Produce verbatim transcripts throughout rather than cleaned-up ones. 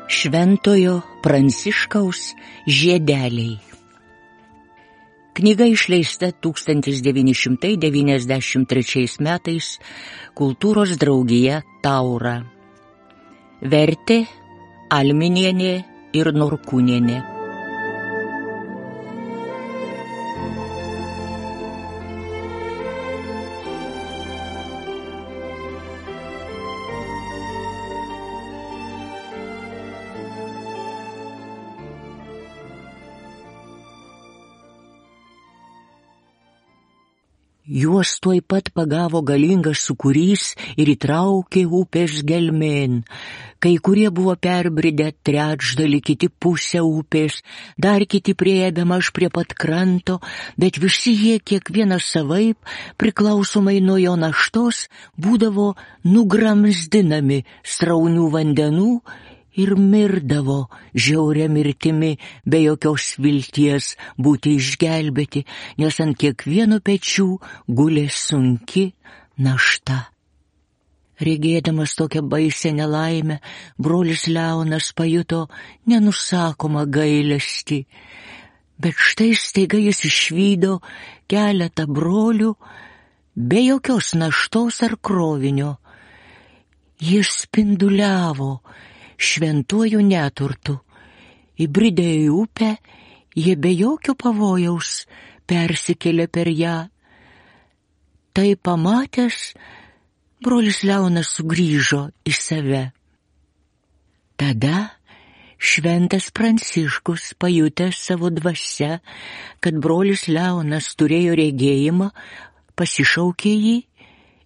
Šventojo Pranciškaus žiedeliai. Knyga išleista tūkstantis devyni šimtai devyniasdešimt trečiais metais Kultūros draugija Taura. Vertė Alminienė ir Norkūnienė. Juos tuoj pat pagavo galingas sūkurys ir įtraukė upės gelmėn. Kai kurie buvo perbridę trečdalį, kiti pusę upės, dar kiti priėjo bemaž prie pat kranto, bet visi jie kiekvienas savaip, priklausomai nuo jo naštos, būdavo nugramzdinami sraunių vandenų ir mirdavo žiauria mirtimi, be jokios vilties būti išgelbėti, nes ant kiekvieno pečių gulė sunki našta. Regėdamas tokią baisią nelaimę, brolis Leonas pajuto nenusakomą gailestį, bet štai staiga jis išvydo keletą brolių be jokios naštos ar krovinio. Jis spinduliavo šventuoju neturtu. Įbridę į upę, jie be jokio pavojaus persikėlė per ją. Tai pamatęs, brolis Leonas sugrįžo į save. Tada šventas Pranciškus, pajutęs savo dvasia, kad brolis Leonas turėjo regėjimą, pasišaukė jį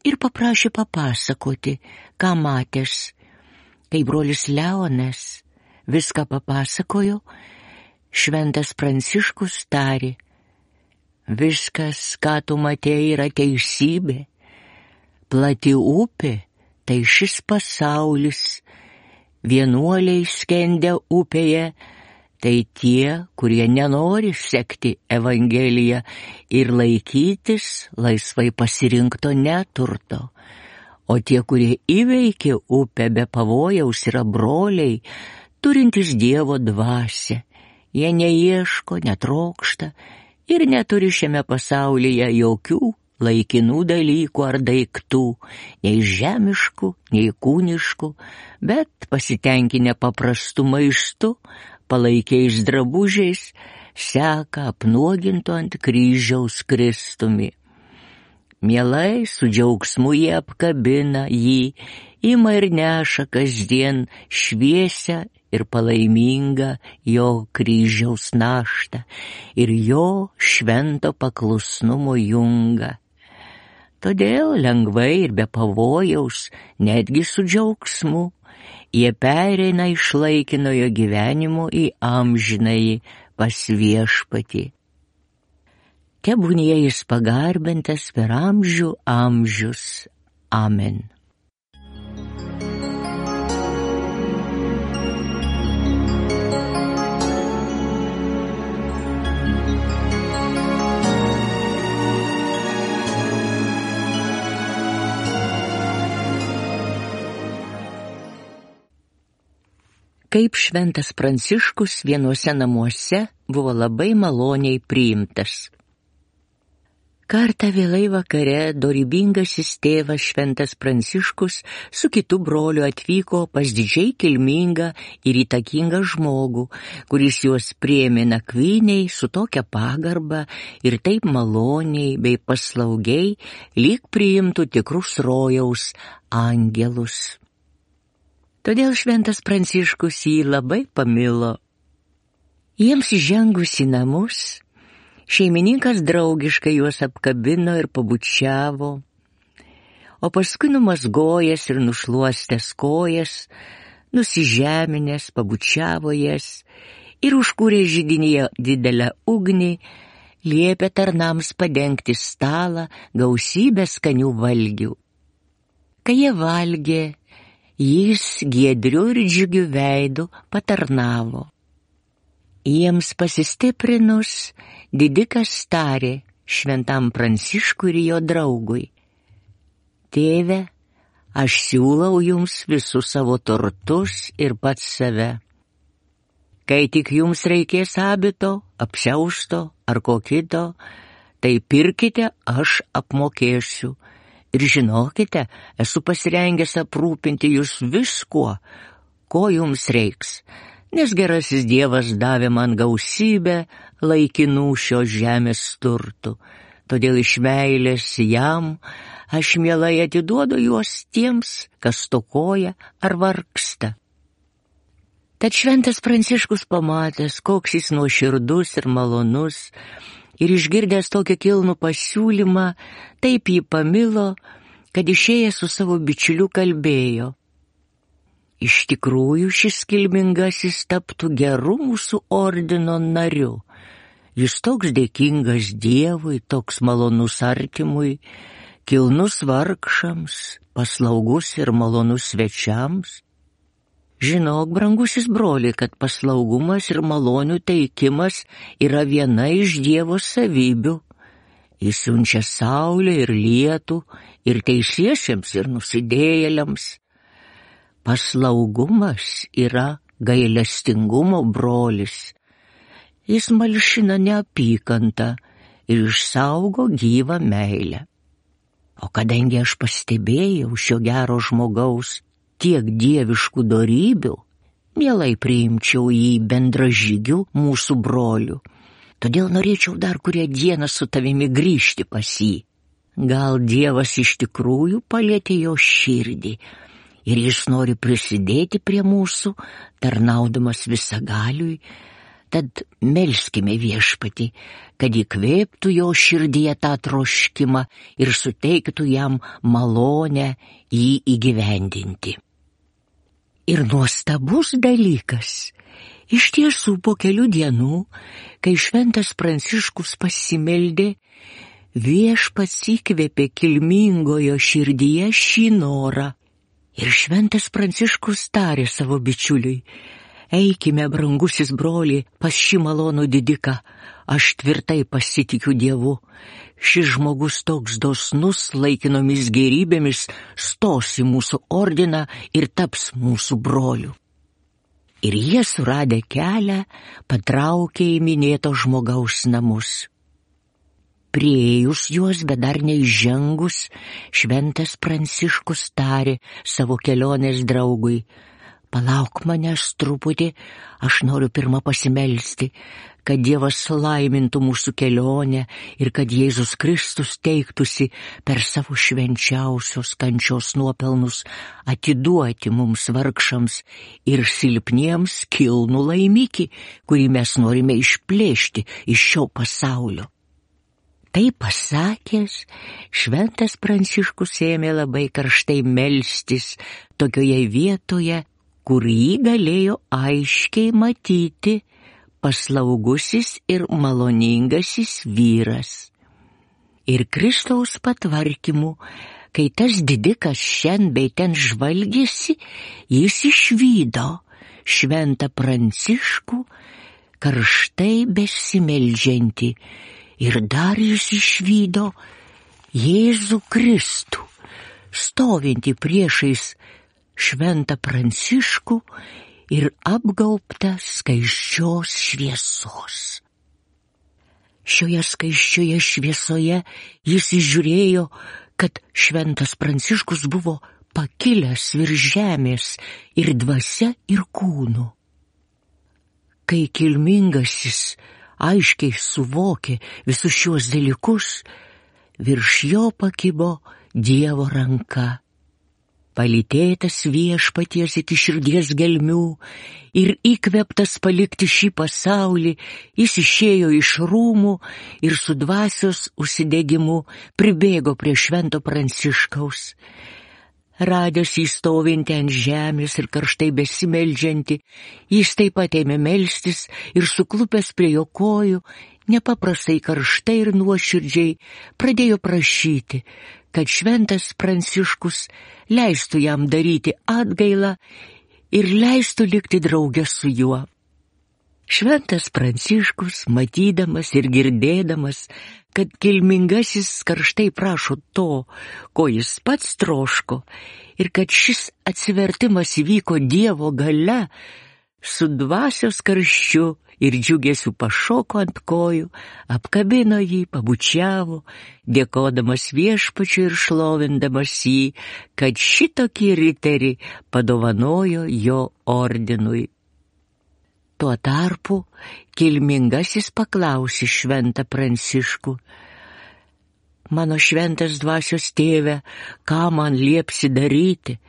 ir paprašė papasakoti, ką matęs. Kai brolis Leonas viską papasakojo, šventas Pranciškus tarė: viskas, ką tu matei, yra teisybė. Plati upė – tai šis pasaulis. Vienuoliai skendę upėje – tai tie, kurie nenori sekti Evangeliją ir laikytis laisvai pasirinkto neturto. O tie, kurie įveikė upę be pavojaus, yra broliai, turintys Dievo dvasią. Jie neieško, netrokšta ir neturi šiame pasaulyje jokių laikinų dalykų ar daiktų, nei žemiškų, nei kūniškų, bet pasitenkinę paprastu maistu, palaikiais drabužiais, seka apnuogintu ant kryžiaus Kristumi. Mielai su džiaugsmu jie apkabina jį, ima ir neša kasdien šviesią ir palaimingą jo kryžiaus naštą ir jo švento paklusnumo jungą. Todėl lengvai ir be pavojaus, netgi su džiaugsmu, jie pereina iš laikinojo gyvenimo į amžinąjį pas Viešpatį. Tebūnie jis pagarbintas per amžių amžius. Amen. Kaip šventas Pranciškus vienuose namuose buvo labai maloniai priimtas. Kartą vėlai vakare dorybingasis tėvas šventas Pranciškus su kitu broliu atvyko pas didžiai kilmingą ir įtakingą žmogų, kuris juos priėmė nakvyniai su tokia pagarba ir taip maloniai bei paslaugiai, lyg priimtų tikrus rojaus angelus. Todėl šventas Pranciškus jį labai pamilo. Jiems įžengus į namus, šeimininkas draugiškai juos apkabino ir pabučiavo, o paskui numazgojęs ir nušluostęs kojas, nusižeminęs pabučiavo jas ir užkūrė židinyje didelę ugnį, liepė tarnams padengti stalą gausybę skanių valgių. Kai jie valgė, jis giedriu ir džiugiu veidu patarnavo. Jiems pasistiprinus, didikas tarė šventam Pranciškui ir jo draugui: Tėve, aš siūlau jums visus savo turtus ir pats save. Kai tik jums reikės abito, apsiausto ar ko kito, tai pirkite, aš apmokėsiu. Ir žinokite, esu pasirengęs aprūpinti jūs viskuo, ko jums reiks, nes gerasis Dievas davė man gausybę laikinų šios žemės turtų. Todėl iš meilės jam aš mielai atiduodu juos tiems, kas stokoja ar vargsta. Tad šventas Pranciškus pamatęs, koks jis nuoširdus ir malonus, ir išgirdęs tokį kilnų pasiūlymą, taip jį pamilo, kad išėjęs su savo bičiuliu kalbėjo: iš tikrųjų šis kilmingasis taptų geru mūsų ordino nariu. Jis toks dėkingas Dievui, toks malonus artimui, kilnus vargšams, paslaugus ir malonus svečiams. Žinok, brangusis broli, kad paslaugumas ir malonių teikimas yra viena iš Dievo savybių. Jis siunčia saulę ir lietų, ir teisiesiems, ir nusidėjėliams. Paslaugumas yra gailestingumo brolis. Jis malšina neapykantą ir išsaugo gyvą meilę. O kadangi aš pastebėjau šio gero žmogaus tiek dieviškų dorybių, mielai priimčiau jį bendražygių mūsų brolių. Todėl norėčiau dar kurią dieną su tavimi grįžti pas jį. Gal Dievas iš tikrųjų palietė jo širdį ir jis nori prisidėti prie mūsų, tarnaudamas visagaliui. Tad melskime Viešpatį, kad įkvėptų jo širdyje tą troškimą ir suteiktų jam malonę jį įgyvendinti. Ir nuostabus dalykas. Iš tiesų, po kelių dienų, kai šventas Pranciškus pasimeldė, Viešpats įkvėpė kilmingojo širdyje šį norą. Ir šventas Pranciškus tarė savo bičiuliui: eikime, brangusis broli, pas šį malonų didiką, aš tvirtai pasitikiu Dievu. Šis žmogus toks dosnus laikinomis gėrybėmis stos į mūsų ordiną ir taps mūsų broliu. Ir jie suradę kelią patraukė į minėto žmogaus namus. Priėjus juos, bet dar neįžengus, šventas Pranciškus tarė savo kelionės draugui: palauk manęs truputį, aš noriu pirmą pasimelsti, kad Dievas laimintų mūsų kelionę ir kad Jėzus Kristus teiktųsi per savo švenčiausios kančios nuopelnus atiduoti mums vargšams ir silpniems kilnų laimikį, kurį mes norime išplėšti iš šio pasaulio. Tai pasakęs, šventas Pranciškus ėmė labai karštai melstis tokioje vietoje, kur jį galėjo aiškiai matyti paslaugusis ir maloningasis vyras. Ir Kristaus patvarkymu, kai tas didikas šen bei ten žvalgėsi, jis išvydo šventą Pranciškų karštai besimeldžiantį, ir dar jis išvydo Jėzų Kristų, stovintį priešais šventą Pranciškų ir apgaubtą skaisčios šviesos. Šioje skaisčioje šviesoje jis įžiūrėjo, kad šventas Pranciškus buvo pakilęs virš žemės ir dvasia ir kūnu. Kai kilmingasis aiškiai suvokė visus šiuos dalykus, virš jo pakibo Dievo ranka. Palytėtas Viešpaties iki širdies gelmių ir įkvėptas palikti šį pasaulį, jis išėjo iš rūmų ir su dvasios užsidegimu pribėgo prie švento Pranciškaus. Radęs jį stovintį ant žemės ir karštai besimeldžiantį, jis taip pat ėmė melstis ir suklupęs prie jo kojų, nepaprastai karštai ir nuoširdžiai pradėjo prašyti, kad šventas Pranciškus leistų jam daryti atgailą ir leistų likti drauge su juo. Šventas Pranciškus, matydamas ir girdėdamas, kad kilmingasis karštai prašo to, ko jis pats troško, ir kad šis atsivertimas įvyko Dievo galia, su dvasios karščiu ir džiugesiu pašoko ant kojų, apkabino jį, pabučiavo, dėkodamas Viešpačiui ir šlovindamas jį, kad šitokį riterį padovanojo jo ordinui. Tuo tarpu kilmingasis paklausė šventą Pranciškų: mano šventas dvasios tėve, ką man liepsi daryti?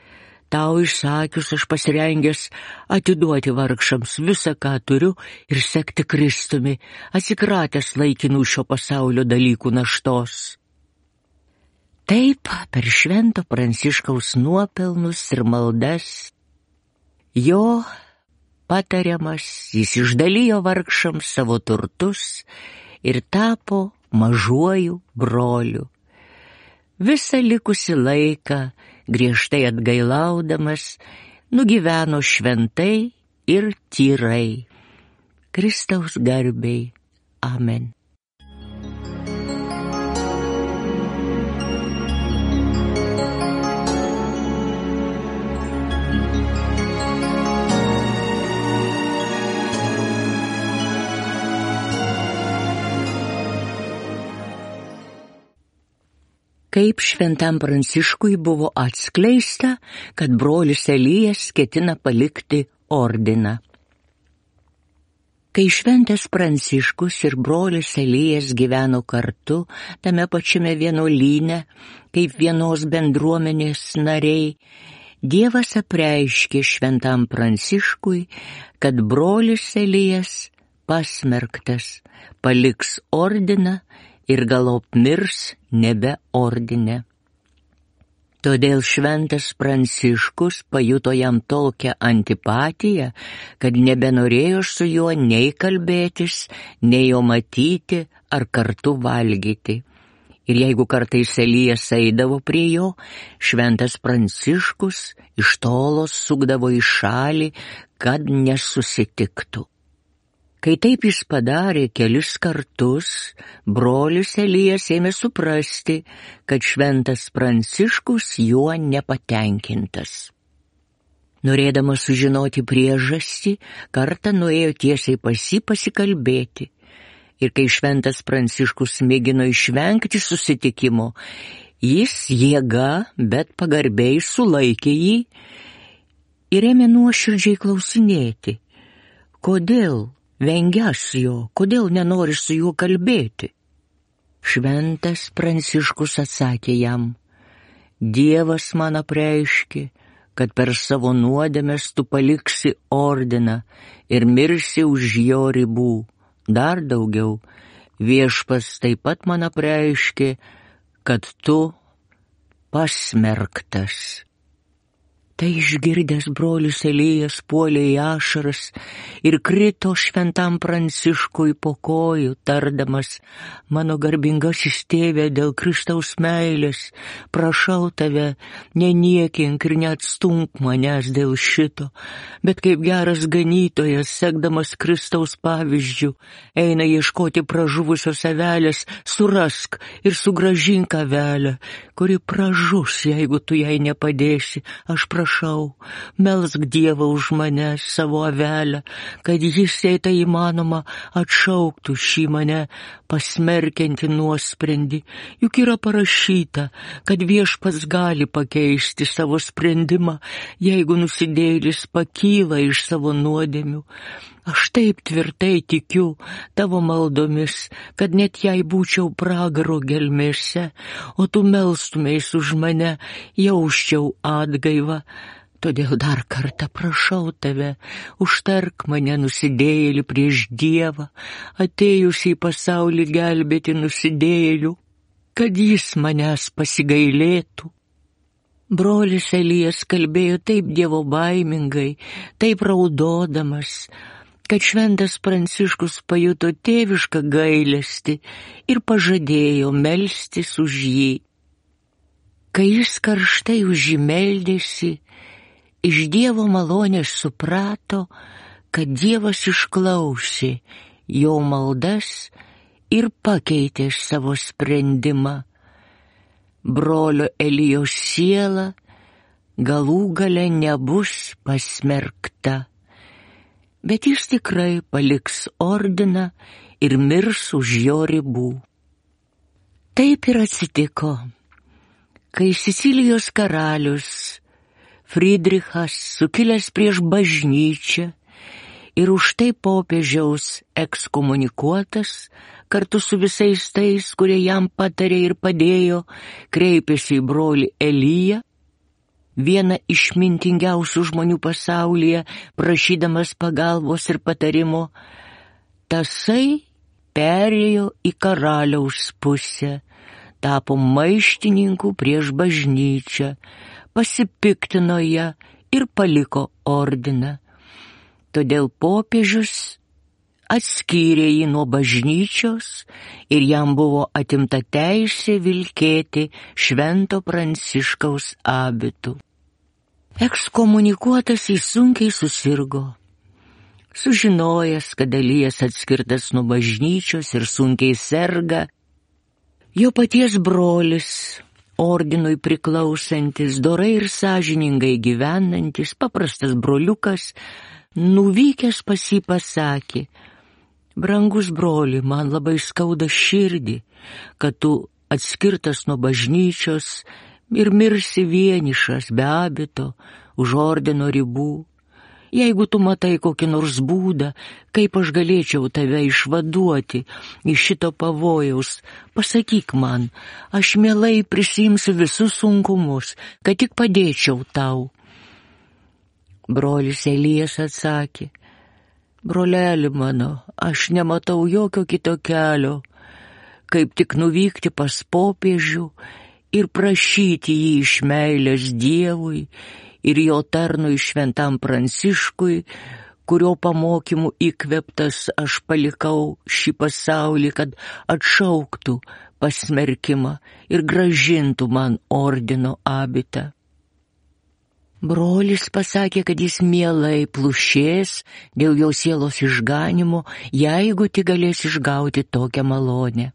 Tau išsakius, aš pasirengęs atiduoti vargšams visą, ką turiu, ir sekti Kristumi, atsikratęs laikinų šio pasaulio dalykų naštos. Taip, per švento Pranciškaus nuopelnus ir maldas, jo patariamas, jis išdalijo vargšams savo turtus ir tapo mažuoju broliu. Visą likusį laiką, griežtai atgailaudamas, nugyveno šventai ir tyrai. Kristaus garbei. Amen. Kaip šventam Pranciškui buvo atskleista, kad brolis Elijas ketina palikti ordiną. Kai šventas Pranciškus ir brolis Elijas gyveno kartu tame pačiame vienuolyne, kaip vienos bendruomenės nariai, Dievas apreiškė šventam Pranciškui, kad brolis Elijas pasmerktas, paliks ordiną ir galop mirs nebe ordine. Todėl šventas Pranciškus pajuto jam tokią antipatiją, kad nebenorėjo su juo nei kalbėtis, nei jo matyti ar kartu valgyti. Ir jeigu kartais Elijas eidavo prie jo, šventas Pranciškus iš tolo sukdavo į šalį, kad nesusitiktų. Kai taip jis padarė kelis kartus, brolis Elijas ėmė suprasti, kad šventas Pranciškus juo nepatenkintas. Norėdamas sužinoti priežastį, kartą nuėjo tiesiai pas jį pasikalbėti. Ir kai šventas Pranciškus mėgino išvengti susitikimo, jis jėga, bet pagarbiai sulaikė jį ir ėmė nuoširdžiai klausinėti, kodėl vengias jo, kodėl nenori su juo kalbėti. Šventas Pranciškus atsakė jam: Dievas man apreiškė, kad per savo nuodėmes tu paliksi ordiną ir mirsi už jo ribų. Dar daugiau, Viešpas taip pat man apreiškė, kad tu pasmerktas. Tai išgirdęs brolis Elijas puolė į ašaras ir krito šventam Pranciškui po kojų, tardamas: mano garbingasis tėve, dėl Kristaus meilės, prašau tave, neniekink ir neatstumk manęs dėl šito, bet kaip geras ganytojas, sekdamas Kristaus pavyzdžių, eina ieškoti pražuvusios avelės, surask ir sugrąžink avelę, kuri pražus, jeigu tu jai nepadėsi. Aš prašau, Prašau, melsk Dievą už mane, savo avelę, kad jis, jei tai įmanoma, atšauktų šį mane pasmerkiantį nuosprendį. Juk yra parašyta, kad Viešpats gali pakeisti savo sprendimą, jeigu nusidėjėlis pakyla iš savo nuodėmių. Aš taip tvirtai tikiu tavo maldomis, kad net jei būčiau pragaro gelmėse, o tu melstumės už mane, jausčiau atgaivą. Todėl dar kartą prašau tave, užtark mane nusidėjėlį prieš Dievą, atėjusį į pasaulį gelbėti nusidėjėlių, kad jis manęs pasigailėtų. Brolis Elijas kalbėjo taip dievobaimingai, taip raudodamas, kad šventas Pranciškus pajuto tėvišką gailestį ir pažadėjo melstis už jį. Kai jis karštai už jį meldėsi, iš Dievo malonės suprato, kad Dievas išklausė jo maldas ir pakeitė savo sprendimą. Brolio Elijos siela galų gale nebus pasmerkta, bet jis tikrai paliks ordiną ir mirs už jo ribų. Taip ir atsitiko, kai Sicilijos karalius Friedrichas, sukilęs prieš bažnyčią ir už tai popiežiaus ekskomunikuotas, kartu su visais tais, kurie jam patarė ir padėjo, kreipėsi į brolį Eliją, vieną išmintingiausių žmonių pasaulyje, prašydamas pagalbos ir patarimo. Tasai perėjo į karaliaus pusę, tapo maištininku prieš bažnyčią, pasipiktino ją ir paliko ordiną. Todėl popiežius atskyrė jį nuo bažnyčios ir jam buvo atimta teisė vilkėti Švento Pranciškaus abitu. Ekskomunikuotas jis sunkiai susirgo. Sužinojęs, kad Elijas atskirtas nuo bažnyčios ir sunkiai serga, jo paties brolis, ordinui priklausantis, dorai ir sąžiningai gyvenantis, paprastas broliukas, nuvykęs pas jį pasakė: brangus broli, man labai skauda širdį, kad tu atskirtas nuo bažnyčios ir mirsi vienišas be abito už ordino ribų. Jeigu tu matai kokį nors būdą, kaip aš galėčiau tave išvaduoti iš šito pavojaus, pasakyk man, aš mielai prisiimsiu visus sunkumus, kad tik padėčiau tau. Brolis Elijas atsakė: broleli mano, aš nematau jokio kito kelio, kaip tik nuvykti pas popiežių ir prašyti jį iš meilės Dievui ir jo tarnui Šventam Pranciškui, kurio pamokymų įkvėptas aš palikau šį pasaulį, kad atšauktų pasmerkimą ir grąžintų man ordino abitą. Brolis pasakė, kad jis mielai plušės dėl jo sielos išganimo, jeigu tik galės išgauti tokią malonę.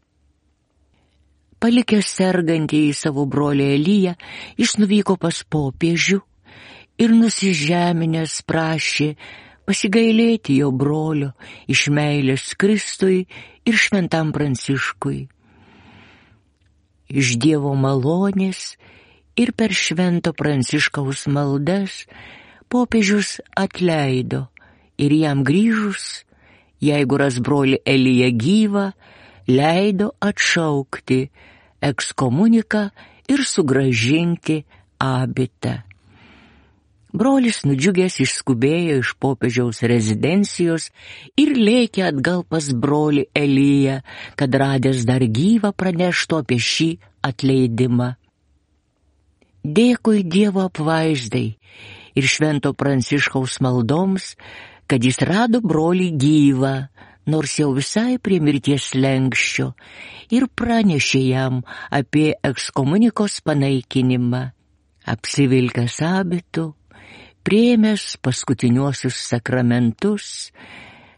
Palikęs sergantį į savo brolį Eliją, jis nuvyko pas popiežių ir nusižeminęs prašė pasigailėti jo brolio iš meilės Kristui ir Šventam Pranciškui. Iš Dievo malonės ir per Švento Pranciškaus maldas popiežius atleido ir jam grįžus, jeigu ras brolį Eliją gyvą, leido atšaukti ekskomuniką ir sugrąžinti abitą. Brolis nudžiugęs išskubėjo iš popiežiaus rezidencijos ir lėkė atgal pas brolį Eliją, kad radęs dar gyvą praneštų apie šį atleidimą. Dėkui Dievo apvaizdai ir Švento Pranciškaus maldoms, kad jis rado brolį gyvą, nors jau visai prie mirties slenksčio, ir pranešė jam apie ekskomunikos panaikinimą. Apsivilkęs abitu, priėmęs paskutiniuosius sakramentus,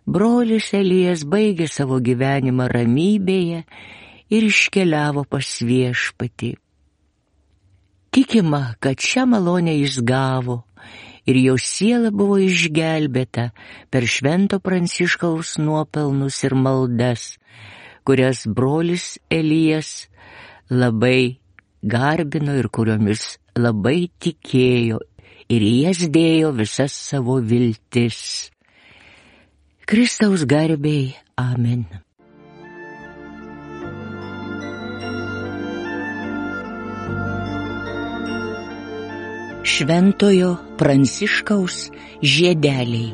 brolis Elijas baigė savo gyvenimą ramybėje ir iškeliavo pas Viešpatį. Tikima, kad šią malonę jis gavo ir jo siela buvo išgelbėta per Švento Pranciškaus nuopelnus ir maldas, kurias brolis Elijas labai garbino ir kuriomis labai tikėjo ir į jas dėjo visas savo viltis. Kristaus garbei. Amen. Šventojo Pranciškaus žiedeliai.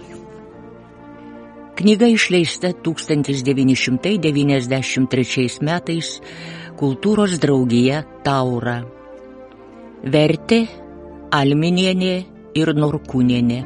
Knyga išleista tūkstantis devyni šimtai devyniasdešimt trečiais metais Kultūros draugija Taura. Vertė Alminienė ir Norkūnienė.